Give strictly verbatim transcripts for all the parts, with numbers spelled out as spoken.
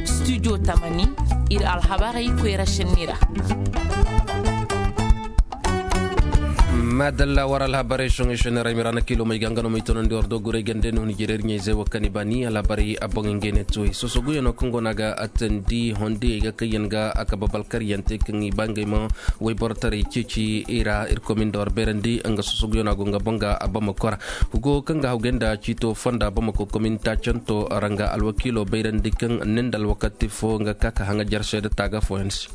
Studio tamani, iri alhabarey koyra senni ra. Madalla, war alhabarey soŋay senni ra, i ma ra na kilo may ga nga no may tonandi war do guray gande no ni jirer ɲayzey wo kani bani alhabarey a boŋ ngey ne tuway sosoguyaŋo kaŋ go no a ga attandi hondiyey ga kaŋ yaŋ ga a kaba balkaryaŋ te kaŋ i ba ngey ma wayboro taray ceeci i ra. Irkoy ma ni da war beerandi nga sosoguyaŋo a go nga boŋ ga a bamako ra. Hugo kaŋ ga hawgay nda ciito fonda bamako komin taacanto ra nga alwakiilo bayrandi kaŋ ne nda alwakati fo nga ka ka haŋajar seeda taaga fooyaŋ se.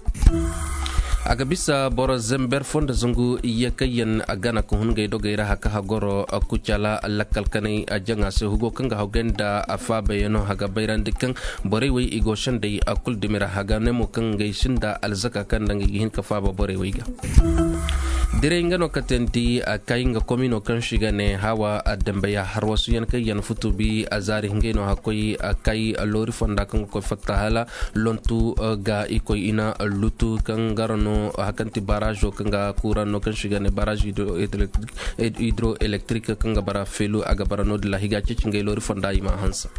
A ga bisa boro zember fonda zangu iyye kaŋ yaŋ a gana ka hun ngey dogey ra haka hagoro kucala lakkal kanay a jaŋa se hugo kaŋ ga hawgay nda a faabayaŋo a ga bayrandi kaŋ borey wey i go sendey a kulu dumi ra a ga ne mo kaŋ ngey sinda alzaka kaŋ nda ngey ga hin ka faaba borey wey ga. Direy nga no ka teendi a kay nga komino kaŋ si ga ne hawa a dambeya harwasuyaŋ kaŋ yaŋ futubi a zaari ngey no hakkoy a kay loori fonda kaŋ ga koy fatta hala lontu ga i koy ina lutu kaŋ gara no hakanti barazo kaŋ ga kuran no kaŋ si ga ne barazo hydroelectric kaŋ ga bara felu a ga bara no dila higa ceeci ngey loori fonda i ma hansa.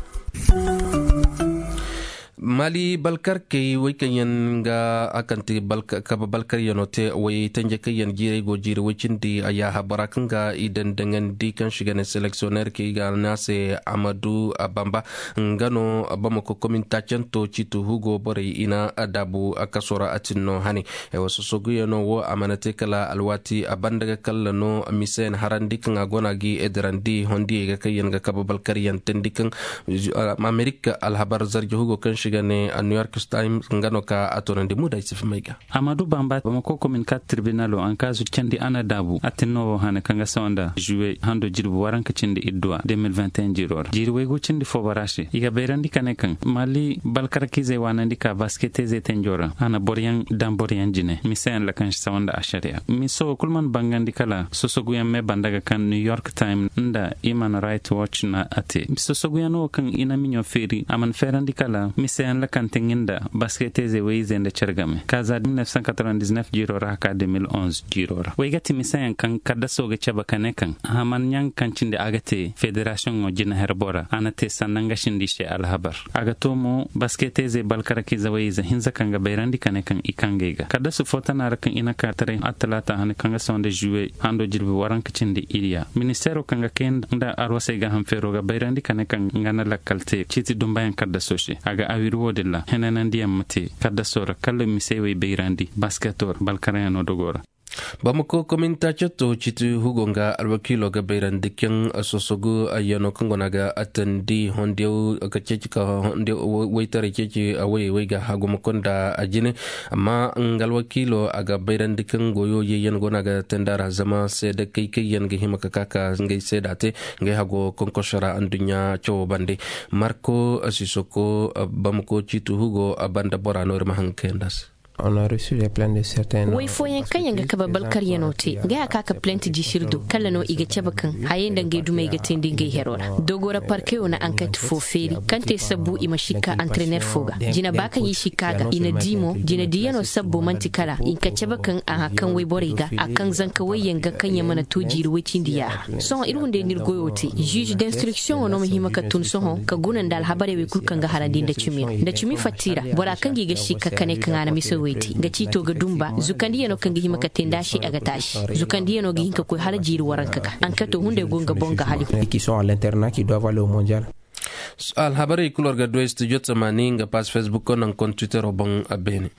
Mali balkarkey wey kaŋ yaŋ ga a kaŋ ti kabe balkaryaŋo te wey tanje kaŋ yaŋ jiirey go jiiri wey cindi a yaaha bora kaŋ ga i daŋ daŋandi kaŋ si ga ne seleksioner kaŋ i ga ne a se amadu bamba nga no bamako komin taacanto ciitu hugo borey i na daabu kaso ra a tin no hane. Sosoguyaŋo wo a mana te kala alwaati a banda ga kalla no mise yaŋ harandi kaŋ a go no a ga i edirandi hondiyey ga kaŋ yaŋ ga kabe balkaryaŋ teendi kaŋ amerika alhabar zarje hugo kaŋ si ga ne new york times nga no ka a toonandi muuda i si fumay ga. Amadu bamba bamako komin kaati tirbinalo ankaazu candi a na daabu a tin no wo hane kaŋ ga sawa nda juwe hando jirbi waranka cindi idduwa deux mille vingt et un jiiro ra jiiri waygu cindi fo bara se i ga bayrandi ka ne kaŋ mali balkarkizey waanandi ka basketezey tenjo ra a na boroyaŋ daŋ boroyaŋ jine mise yaŋ lakansi sawa nda asariya mise wo kulu mana bangandi kala sosoguyaŋ me banda ga kaŋ new york time nda human right watch na a te sosoguyaŋ wo kaŋ i na miɲo feeri a mana feerandi kala mise yaŋ lakante nga nda basketezey wayizey nda care game kaaza mille neuf cent quatre-vingt-dix-neuf jiiro ra haka deux mille onze jiiro ra way ga ti mise yaŋ kaŋ kaddaso ga cabe ka ne kaŋ haman ɲaŋ kaŋ cindi a ga te federasiyoŋo jina herbo ra a na te sanna nga sindi se alhabar a ga to mo basketezey balkarkizey wayizey hinza kaŋ ga bayrandi ka ne kaŋ i kaŋ ga i ga kaddasu fo tana ra kaŋ i na ka taray attalaata hane kaŋ ga sawa nda juwe hando jirbi waranka cindi iriya ministeero kaŋ ga kay nda arwasey ga hanfeero ga bayrandi ka ne kaŋ nga na lakkal te ciiti dumbayaŋ kaddaso se a ga awiri wo-din ra henanandiyaŋ ma te kaddaso ra kala misey wey bayrandi basketo ra balkaryaŋo dogo ra. Bamako komin taacetto ciiti hugo nga alwakiilo ga bayrandi kaŋ sosogu yaŋo kaŋ go no a ga attandi hondiyaŋ ka ceeci ka hondiyaŋ waytaray ceeci a wayey way ga haguma konda a jine. Amma nga alwakiilo a ga bayrandi kaŋ goyo yayyaŋ go no a ga teendi a ra zama seeda kay kaŋ yaŋ ga hima ka ka ka ngey seeda te ngey hago konkoso ra anduɲɲa cawo bande. Marko sisoko bamako ciiti hugo banda bora no iri ma haŋ ga kayandi a se. Way fooyaŋ kaŋ yaŋ ga kabe balkaryaŋo te ngey a ka ka plent jisiri do kala no i ga cabe kaŋ hayey nda ngey dumey ga teendi ngey hero ra dogo ra parkeyo na ankati fo feeri kaŋ te sabbu i ma sikka antrener fo ga jina ba kaŋ i sikka ga i na di mo jina diyaŋo sabbo manti kala i na ka cabe kaŋ a haŋ kaŋ wayborey ga a kaŋ zanka wayyaŋ ga kaŋ yaŋ mana to jiiri way cindi yaaha sohõ iri hunday no iri goyo te juge d'instruction wo no ma hima ka tun sohõ ka guna nda alhabarey wey kulu kaŋ ga harandi nda cimi ra nda cimi fatta i ra bora kaŋ ga i ga sikka ka ne kaŋ a na mise wey te nga ciito ga dumba zukandiyaŋo kaŋ ga hima ka te nda a se a ga taasi zukandiyaŋo ga hin ka koy hala jiiri waranka ga ankato hunday go nga boŋ ga hali. Alhabarey kulu war ga du ay studio tamani nga pass facebook naŋ kon twittero boŋ a beene.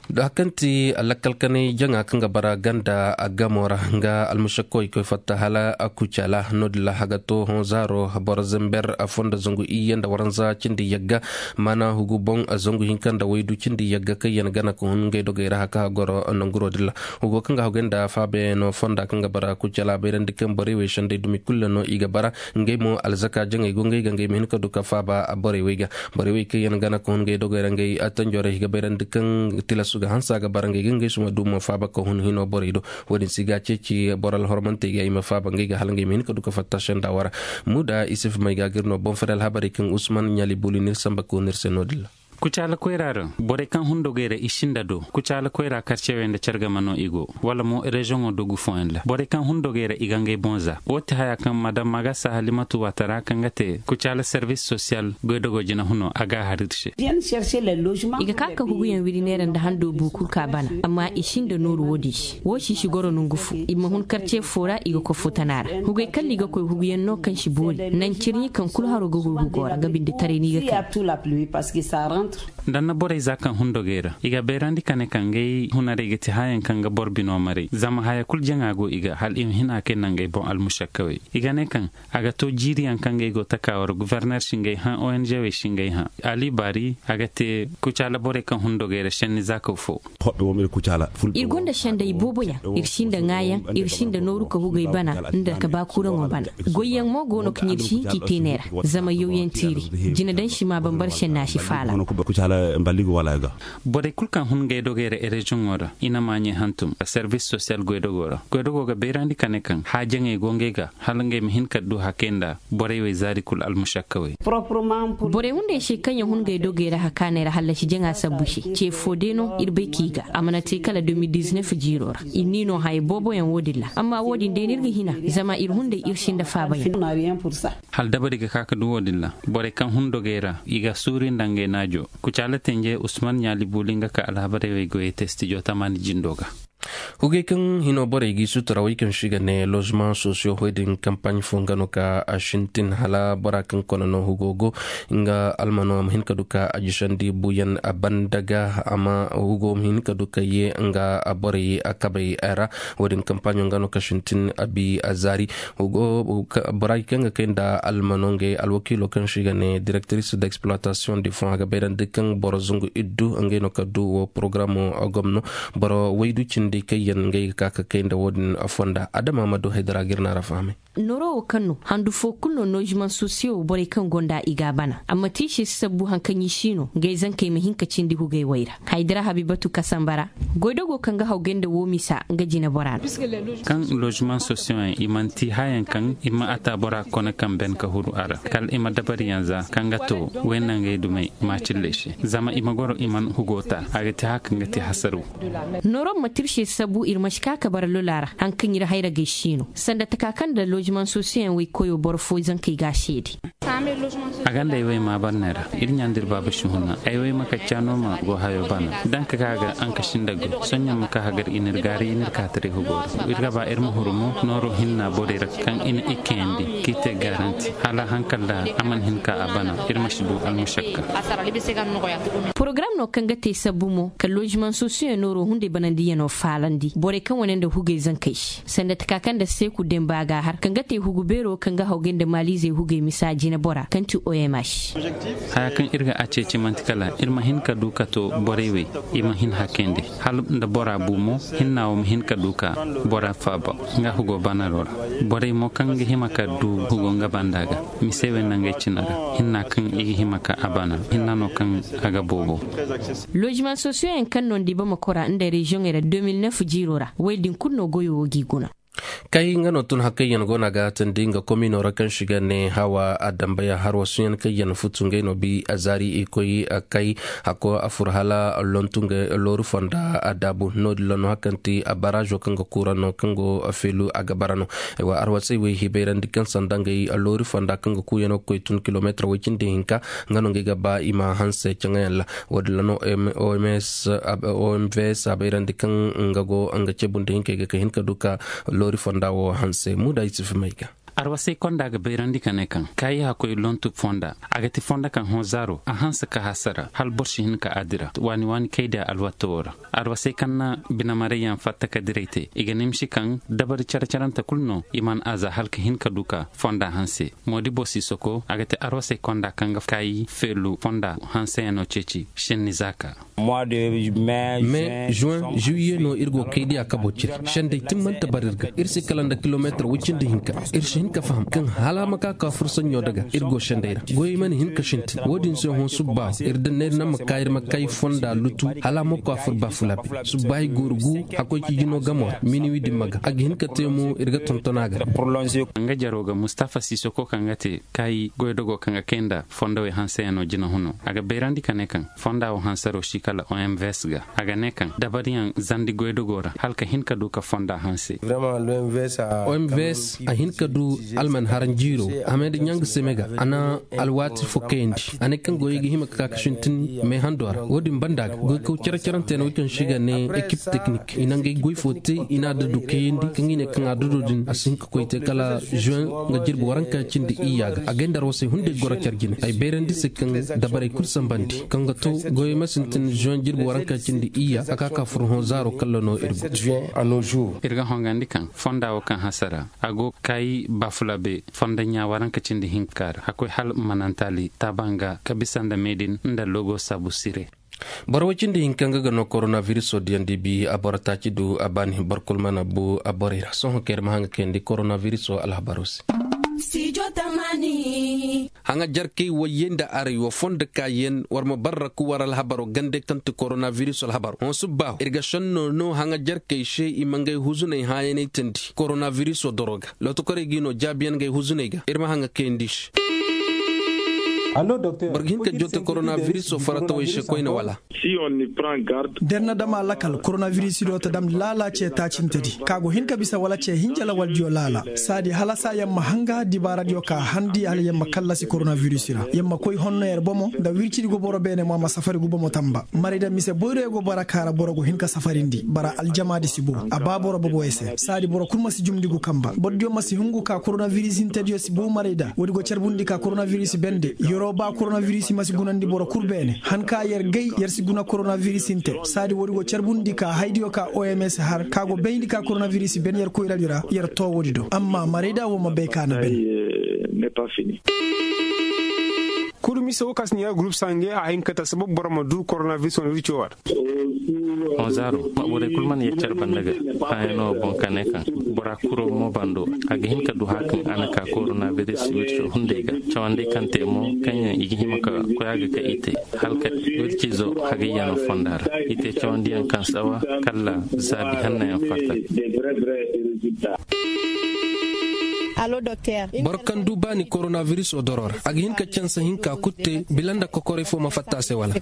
Da kaŋ ti lakkal kanay jaŋa kaŋ ga bara ganda a gamo ra nga almushakko i koy fatta hala a kucala no-din ra haga to hõ zaaro boro zember a fondo zangu iyye nda waranza cindi yagga maana hugu boŋ zangu hinka nda waydu cindi yagga kaŋ yaŋ gana ka hun ngey dogey ra haka goro nanguro din ra. Hugo kaŋ ga hagay nda faabayaŋo fonda kaŋ ga bara kucala bayrandi kaŋ borey wey sendey dumi kulu no i ga bara ngey mo alzaka jaŋey go ngey ga ngey ma hin ka du ka faaba borey wey ga. Borey wey kaŋ yaŋ gana ka hun ngey dogey ra ngey attanjorey ga bayrandi kaŋ tilasu ga hansa ga bara ngey ga ngey suma dumo faaba ka hun hino borey do. Wo-din si ga ceeci boro alhormantey ga i ma faaba ngey ga hala ngey ma hin ka du ka fatta senda wara. Muda isif may ga ga iri no boŋ fari alhabarey kaŋ usman ɲali buli n'iri samba ka hun iri se no-din ra. Kucaala koyra ra borey kaŋ hun dogey ra i sinda do. Kucaala koyra karcewey nda care game no i go, wala mo rezoŋo dogu fooyaŋ ra borey kaŋ hun dogey ra i ga ngey boŋ za. Wo ti haya kaŋ madam magasa halimatu watara kaŋ ga te kucaala servis sosiyal goydogo jina huno a ga a har iri se. I ga ka ka huguyaŋ wiri neera nda hando buuku ka bana, amma i sinda nooru wo-din se. Wo si si goro nongu fo i ma hun karce fo ra i ga koy fo tana ra. Hugey kaŋ no i ga koy huguyaŋ no kaŋ si boori naŋ cirɲi kaŋ kulu haro ga huru hugo ra nga binde taray no i ga kay. Danna borey za kaŋ hun dogey ra i ga bayrandi ka ne kaŋ ngey hunarey ga ti hayaŋ kaŋ ga boro bino maray zama haya kulu jaŋa go i ga hala i ma hin a kay nangey boŋ almusakkawey. I ga ne kaŋ a ga to jiiriyaŋ kaŋ ngey go taka wara guverner si ngey hã ong wey si ngey hã. Ali baari a ga te kucaala borey kaŋ hun dogey ra senni zaakaw fo. Iri gonda sendey boobo yaŋ. Iri sinda ŋaayaŋ, iri sinda nooru ka hugey bana nda ka baakuraŋo bana. Goyyaŋ mo go no kaŋ iri si hin k'i te neera. Zama yawyaŋ tiiri jina daŋ si ma bambara senna si faala. Borey kulu kaŋ hun ngey dogey ra ereziyoŋo ra i na maaɲey hantum servis sosiyal goydogo ra. Goydogo ga bayrandi ka ne kaŋ haajaŋey go ngey ga hala ngey ma hin ka du hakey nda borey wey zaari kulu almusakkawey. Borey hunday se kaŋ yaŋ hun ngey dogey ra hakaaney ra hallasi jaŋa sabbu se ce fo day no iri bay k'i ga a mana te kala deux mille dix-neuf jiiro ra. Iri n'i no haya boobo yaŋ wo-din ra amma wo-din day no iri ga hina zama iri hunday iri sinda faaba yaŋ. Hala dabari ga ka ka du wo-din ra. Borey kaŋ hun dogey ra i ga suuri nda ngey naajo. Kucaala tenje usman ɲaali buuli nga ka alhabarey wey goyey te stijo tamaani jindo ga. Hugey kaŋ hino borey g'i sutura wey kaŋ se i ga ne lozemaŋ sosiyo hoy din kampaaɲ fo nga no ka a sintin hala bora kaŋ kona no hugo go nga almano a ma hin ka du ka a jisandi buuyaŋ a banda ga a ma hugo ma hin ka du ka ye nga borey a kabey ra. Wo-din kampaaɲo nga no ka sintin a bi a zaari. Hugo borey kaŋ ga kay nda almano ngey alwakiilo kaŋ se i ga ne direktiris d'exploitation de fond a ga bayrandi kaŋ boro zangu iddu ngey no ka du wo porogaraamo gomno. Boro waydu cindi kaŋ yaŋ ngey ga ka ka kay nda wo-din fonda adama ma du haydara ga iri no a ra fahamay. Nooro wo kaŋ no handu fo kulu no nozimaŋ sosiyo borey kaŋ gonda i ga a bana amma tiisi si sabbu hari kaŋ i si no ngey zankey ma hin ka cindi hugey way ra. Haydara habibatu kasambara goydogo kaŋ ga hawgay nda wo misa nga jina bora no. Kaŋ lozimaŋ sosiyo yaŋ i mana ti hayaŋ kaŋ i ma a ta bora kone kaŋ ben ka huru a ra kala i ma dabariyaŋ za kaŋ ga to wayna ngey dumey maacilley se zama i ma goro i mana hugo ta a ga ti haka nga ti hasaru. Nooro ma tirse sabu iri ma si ka ka bara lola ra hari kaŋ iri hayra gay si no sanda taka kaŋ nda lozimaŋ sosiyo yaŋ way koyo boro fo zankey ga a seede. A ganda ay way ma banne ra iri ɲa nda iri baaba si huna ay way ma kacca no ma go hayo bana danka ka ga anka sinda go soɲɲa ma ka hagar i n'iri gaari i n'iri ka taray hugo ra. Iri ga ba iri ma huru mo nooro hinna borey ra kaŋ i na ikkayandi k'i te garanti hala hankal da a mana hin ka a bana. Iri ma si du almushakka. Porogaram no kaŋ ga te sabbu mo ka lozimaŋ sosiyo nooro hunday banandiyano faalandi borey kaŋ wane nda hugay zankey se sanda taka kaŋ nda seeku demba ga har kaŋ ga te hugu beero kaŋ ga hawgay nda maaliizey hugay misa jinabora kaŋ ti oms. Haya kaŋ iri ga a ceeci manti kala iri ma hin ka du ka to borey wey i ma hin hakayndi hala nda bora bu mo hinna wo ma hin ka du ka bora faaba nga hugo banaro ra. Borey mo kaŋ ga hima ka du hugo nga banda ga mise wey nangey cina ra hinna kaŋ i ga hima ka a bana hinna no kaŋ a ga boobo. Lozimaŋ sosiyo yaŋ kaŋ no nda i ba ma kora nda reziyoŋey ra deux mille neuf jiiro ra woy din kulu no goyo wo g'i guna. Kay nga no tun hakkayyaŋ go no a ga tandi nga komino ra kaŋ si ga ne hawa a dambaya harwa suyan kaŋ yaŋ futu ngey no bi a zaari i koy a kay hakko a fur hala lontu nga looru fonda a daabu no- din ra no hakkanti a barazo kaŋ ga kuura no kaŋ go feelu a ga bara no. Ay wa arwasay wey hibayrandi kaŋ sanda ngey looru fonda kaŋ ga kuuyano ga koy tun kilomeetar way cindi hinka nga no ngey ga ba i ma hanse caŋayaŋ ra. Wo- din ra no oms a bayrandi kaŋ nga go nga cebu nda hinkey ga ka hin ka du ka loori fonda wo hanse muuda yusuf may ga. Arwasay konda ga bayrandi ka ne kaŋ kaayi hakkoy lontu fonda a ga ti fonda kaŋ hõ zaaro a hanse ka hasara hala boro si hin ka a dira waani waani kay da alwatto wo ra. Arwasay kaŋ na binamaray yaŋ fatta ka diray te i ga nimsi kaŋ dabari care carante kulu no i mana a za hala ka hin ka du ka fonda hanse. Moodibo sisoko a ga te arwasey konda kaŋ ga kaayi feelu fonda hanseyaŋo ceeci senni zaaka. Me juin juillet no iri go kay diya kabo cire sendey timmante bar iri ga iri si kala nda kilomeetar way cindi hinka. Iri si Ka faham kaŋ hala ma ka ka fursanɲo daga iri go sendey ra goyey mana hin ka sintin wo- din se hõ subba iri da neera naŋ ma ka iri ma kay fonda lutu hala ma ko a fur ba fulabe. Subba i gooru gu hakkoy ci jino gamo ra miniwi din ma ga a ga hin ka te mo iri ga tonton a ga. Nga jaro ga mustafa sisoko kaŋ ga te kaayi goydogo kaŋ ga kay nda fondowey hanseyaŋ no jina huno a ga bayrandi ka ne kaŋ fonda wo hansaro si kala omvs ga a ga ne kaŋ dabariyaŋ zandi goydogo ra hala ka hin ka du ka fonda hanse. Omvs a hin ka du alman haran jiiro a ma nda ɲanga seme ga a na alwaati fo kayandi a ne kaŋ goyey ga hima ka ka ka sintin meehando ra wo- din banda ga goykaw care-carante no way kaŋ se i ga ne ekip teknik i na ngey goy fo te i na a dadu kayandi kaŋ i ne kaŋ a dado din a si hin ka koy te kala juin nga jirbi waranka cindi iyya ga a gay nda arwasey hunday goro care jine ay bayrandi se kaŋ dabarey kulu sambandi kaŋ ga to goyey ma sintin juin jirbi waranka cindi iyya a ka ka furo hõ zaaro kalla no iri go. Iri ga hongandi kaŋ fonda wo kaŋ hasara a go kaayi bafulabe fonda ɲa waranka cindi hinka ra hakkoy hala manantali taabanga ka bisa nda meedin nda logo saabu sire. Boro way cindi hinka nga ga no koronaviruso diyandi bi a boro taaci du a baani boro kulu mana bu a borey ra sohõ kaŋ iri ma haŋ ga kayandi koronaviruso alhabaro se. Haŋa jarkey wayyey nda aray wo fondo kaayaŋ war ma barra ku war alhabaro gande kaŋ ti koronaviruso alhabaro hõ subba iri ga sanno no haŋa jarkey se i ma ngey huzuney hãayanay tandi koronaviruso doro ga. Lotokorey g'i no jaabiyaŋ ngey huzuney ga iri ma haŋa kayandi se. Boro ga hin ka jotte koronaviriso faratawey se koyne wala? Da iri na dama lakal koronaviriso do ta dam laala ce taacinte di ka go hin ka bisa wala ce hinja lawaldiyo laala. Saadi hala sa yamma hanga dibaaradiyo ka handi hala yamma kallasi koronaviriso ra yamma koy honno yer bomo nda wircidi go boro beene mo a ma safari gu bomo tamba maray da mise boyroyo go bara kaara boro go hin ka safarindi bara aljamaadi si bo a ba boro boboyo se saadi boro kulu ma si jumndi gu kamba bordiyo ma si hungu ka koronaviris hintediyo si bo maray da woodi go carbundi ka koronaviris bende yeroo ba koronaviris ma si gunandi boro kulu beene han ka yer gay yer si guna koronaviris hinte saadi woodi go carbundi ka haydiyo ka oms har ka go bayndi ka koronaviris ben yer koyradi ra yer to woodi do amma maray da wo ma bay ka na ben. Kulu mise wo kaŋ si ne yer gurup sange a hin ka ta sabab boro ma du koronaviris wane wirco war. Onzaro ma borey kulu mana ye care banda ga hãyano boŋ ka ne kaŋ bora kuro mo bando a ga hin ka du hã kaŋ a na ka koronaviris wirco hunday ga cawandi kaŋ te mo kaŋ yaŋ i ga hima ka koy a ga ka i te halka wircizo hagayyano fonda ra i te cawandiyaŋ kaŋ sawa kala zaabi hannayaŋ fatta. Boro kaŋ du baani koronaviriso doro ra a ga hin ka cansa hinka kulu te bila nda kokoray fo ma fatta a se wala?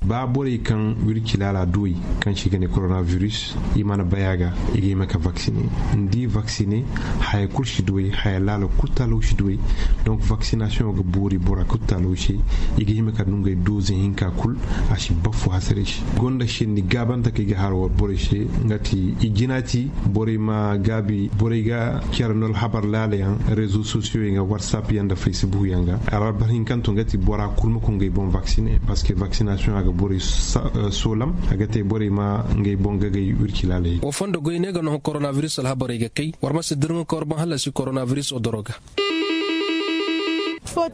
Ba borey kaŋ wirci laala duwey kaŋ se i ga ne koronaviris i mana bay a ga i ga hima ka vaksine. Ni di vaksine haya kulu si duwey haya laala kulu taalaw si duwey. Donc vaksinasiyoŋo ga boori bora kulu taalaw se i ga hima ka du ngey doze hinka kulu a si bafo hasarey se gonda senni gaabante kaŋ i ga hara war borey se nga ti i jina ti borey ma gaabi borey ga care no alhabar laala yaŋ rezo sosiyo yaŋ ga warsap yaŋ nda faysibuk yaŋ ga alhabar hinkanto nga ti bora kulu ma koy ngey boŋ vaksine parceque vaksinasiyoŋ a ga borey soolam a ga te borey ma ngey boŋ gagay wirci laaley. Wo fondo goy ne ga no koronaviris alhabarey ga kay war ma si dirŋo ka war boŋ hallasi koronaviris odoro ga.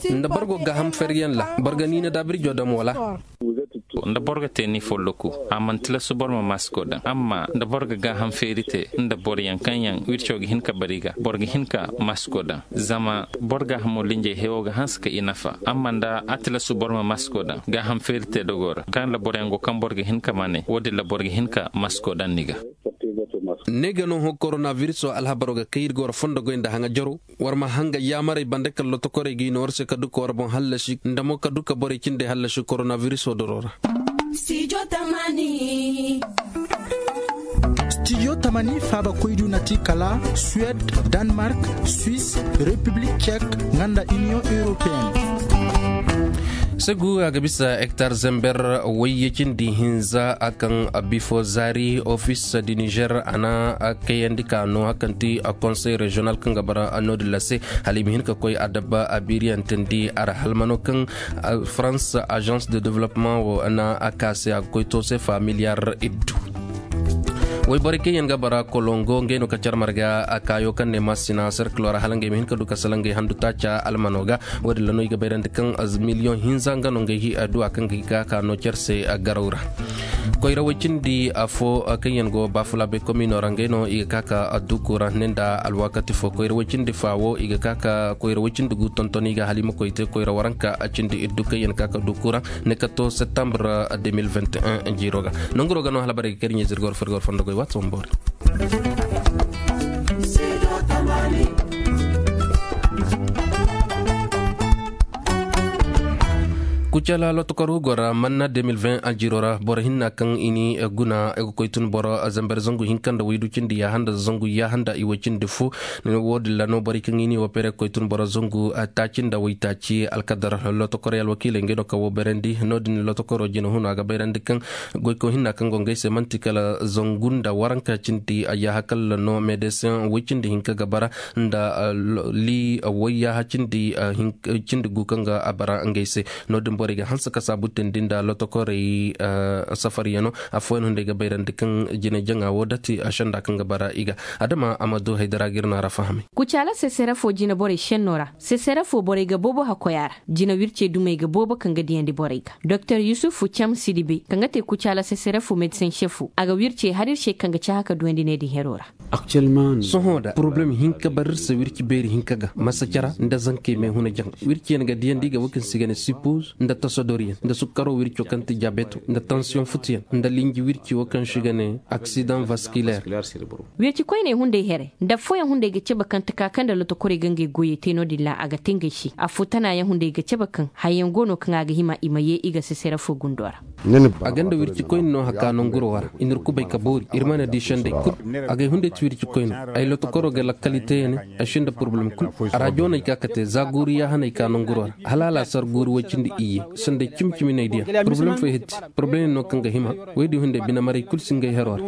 Nda boro go gaaham feryaŋ ra boro ga niina daabirjo dam wala? Nda boro ga te ni folloku a mana tilasu boro ma masko daŋ amma nda boro ga gaaham feeri te nda boroyaŋ kaŋ yaŋ wirco ga hin ka bari ga boro ga hin ka masko daŋ. Zama boro gaahamo linjey hewo ga hanse ka i nafa amma nda a tilasu boro ma masko daŋ gaaham feeri te dogo ra kaŋ ra boroyaŋ go kaŋ boro ga hin ka mane wo- din ra boro ga hin ka masko daŋ ni ga. Ne ga no hõ koronaviriso alhabaro ga kay iri ga war fondo goy nda haŋa jaro war ma hanga yaamarey banda kala lotokorey ga i no war se ka du ka war boŋ hallasi nda mo ka du ka borey cindey hallasi koronaviriso doro ra. Studio tamani faaba koydu na ti kala suwed, danmark, swiss, repiblik cek, nga nda iniyoŋ europeen. Segu a ga bisa hektar zember wayye cindi hinza a kaŋ bifo zaari ofis di niger a na kayandi ka no hakanti konsey reziyonal kaŋ ga bara no- din ra se hala i ma hin ka koy a dabba a biiriyaŋ tindi a ra halmano kaŋ farans agence de developement wo na a ka se a ga koy to se familiyar iddu. Wayborey kaŋ yaŋ ga bara kolongo ngey no ka care marga a kaayo kaŋ ne masina serkilo ra hala ngey ma hin ka du ka salaŋ ngey handu taaca almano ga. Wo- din ra no i ga bayrandi kaŋ miliyoŋ hinza nga no ngey du a kaŋ ga ga ka no care se garaw ra. Koyra way cindi afo kaŋ yaŋ go baafulaabey komino ra ngey no i ga ka ka duku ra ne nda alwaakati fo koyra way cindi fa wo i ga ka ka koyra way cindi gu tonton i ga halima koy te koyra waranka cindi iddu kaŋ yaŋ ka ka duku ra ne ka to septembre deux mille vingt et un jiiro ga. Nanguro ga no hala barey ga kar ɲey zirgor fergor fondo goy waati wamboori. Kucala lotokor hugo ra manna deux mille vingt a jiro ra boro hinna kaŋ i ni guna ga koy tun boro zambar zangu hinka nda waydu cindi yahanda zangu yahanda i way cindi fu. Wo- din ra no borey kaŋ i ni wo pere ga koy tun boro zangu taaci nda waytaaci alkadar lotokorey alwakiiley ngey no kaŋ wo bayrandi no- din lotokoro jina huno a ga bayrandi kaŋ goyko hinna kaŋ go ngey se manti kala zangu nda waranka cindi ayyaha kala no medesin way cindi hinka ga bara nda li wayyaha cindi gu kaŋ ga a bara ngey se. No- din borey ga hanse ka saabu tindi nda lotokorey safari yaŋo. Afooyaŋ hunday ga bayrandi kaŋ jina jaŋa wo dati senda kaŋ ga bara i ga adama a ma du haydara ga iri no a ra fahamay. Kucaala sesere fo jina borey senno ra sesere fo borey ga boobo hakkoy a ra. Jina wirce dumey ga boobo kaŋ ga diyandi borey ga doktor yusufu cam sidibe kaŋ ga te kucaala sesere fo medisen sefo a ga wirce har iri se kaŋ ga cahã ka duwandi ne din hero ra. Sohõ da poroblem hinka bar iri se wirci beeri hinka ga masacara nda zankey me huna jaŋ. Wirci yaŋ ga diyandi ga wo kaŋ se i ga ne sipoz nda tasodor yaŋ nda sukkaro wirco kaŋ ti diabeto nda tansiyoŋ futu yaŋ nda linji wirci wo kaŋ se i ga ne aksidaŋ vaskiler. Wirci koyney hunday here nda affooyaŋ hunday ga cabe kaŋ taka kaŋ nda lotokorey ga ngey goyey te no- din ra a ga te ngey se affo tana yaŋ hunday ga cabe kaŋ hayyaŋ go no kaŋ a ga hima i ma ye i ga sesere fo gundo ra. A gonda wirci koyne no haka nanguro ra i n'iri kubay ka boori iri mana di senday kulu. Agay hunday ti wirci koyne ay lotokoro ga lakkali te ya ne ay sinda poroblem kulu. Arajo no ay ka ka te za guuru yaaha no ay ka nanguro ra hala alaasar guuru way cindi iyye senday cimi cimi no ay diya. Poroblem fo ay hitti poroblem yaŋ no kaŋ ga hima. Waydi hunday bine maray kulu si ngey hero ra.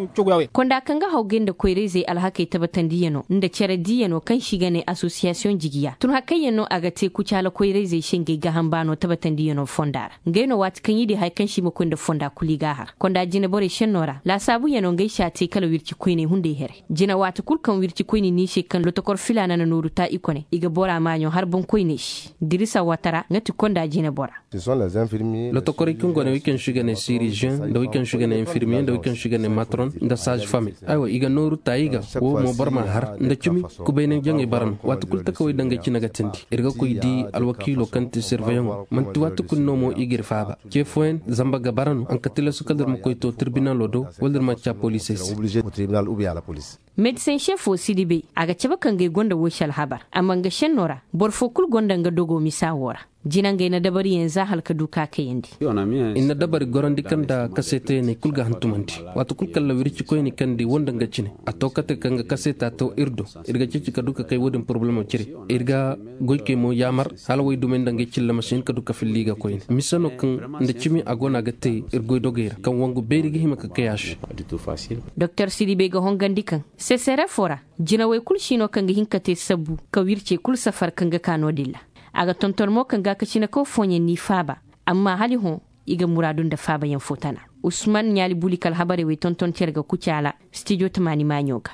Konda kaŋ ga haw gay nda koyrayzey alhakey tabatandiyano nda care diyano kaŋ se i ga ne asosiyasiyoŋ jigiya tun hakayyaŋ no a ga te kucaala koyrayzey se ngey gaaham baano tabatandiyano fonda ra. Ngey no waati kaŋ i di hari kaŋ se i ma koy nda fonda kulu i g'a har konda jine borey senno ra laasaabu yaŋ no ngey se a te kala wirci koyney hunday here. Jine waati kulu kaŋ wirci koyne no i se kaŋ lotokor filaana na nooru ta i kone i ga bora maaɲo har boŋ koyney se. Dirisa waatara nga ti konda jine bora. Lotokorey kaŋ go ne way kaŋ se i ga ne siriziyeŋ nda way kaŋ se i ga ne infirmiye nda way kaŋ se i ga ne matron nda saazi fami. Aywa i ga nooru ta i ga wo mo boro ma har nda cimi. Kubaynaŋ jaŋey bara no waati kulu takawey dangay cine ga tindi iri ga koy di alwakiilo kaŋ ti sirveyaŋo manti waati kulu no mo i g'iri faaba. Ce fooyaŋ zamba ga bara no haŋ ka tilasu kala iri ma koy to tirbinalo do wala iri ma ca poliisey se. Medisen sefo sidibe a ga cabe kaŋ gay gonda woy se alhabar amma nga senno ra boro fo kulu gonda nga dogo misa wo ra. Jinangey na dabariyaŋ za hala ka du ka kayandi. Iri na dabari gorandi kaŋ nda kaseetayaŋ i kulu ga hantumandi. Waati kulu kala wirci koyne kaŋ di wanda nga cine a to kate kaŋ ga kaseeta to iri do. Iri ga ceeci ka du ka kay wo- din poroblemo cire. Iri ga goykey mo yaamar hala waydumey nda ngey cilla ma si hin ka du ka filla i ga koyne mise no kaŋ nda cimi a go no a ga te iri goydogey ra kaŋ wangu beeri ga hima ka kay a se. Doktor sidibe ga hongandi kaŋ sesere fo ra jinawey kulu si no kaŋ ga hin ka te sabbu ka wircey kulu safar kaŋ ga ka no- din ra. A ga tonton mo kaŋ gaakasina kaw fooyaŋ n'i faaba. Amma hala i hõ i ga muraadu nda faabayaŋ fo tana. Usman ɲaali buli kala habarey wey tonton cere ga kucaala stijo tamaani maaɲo ga.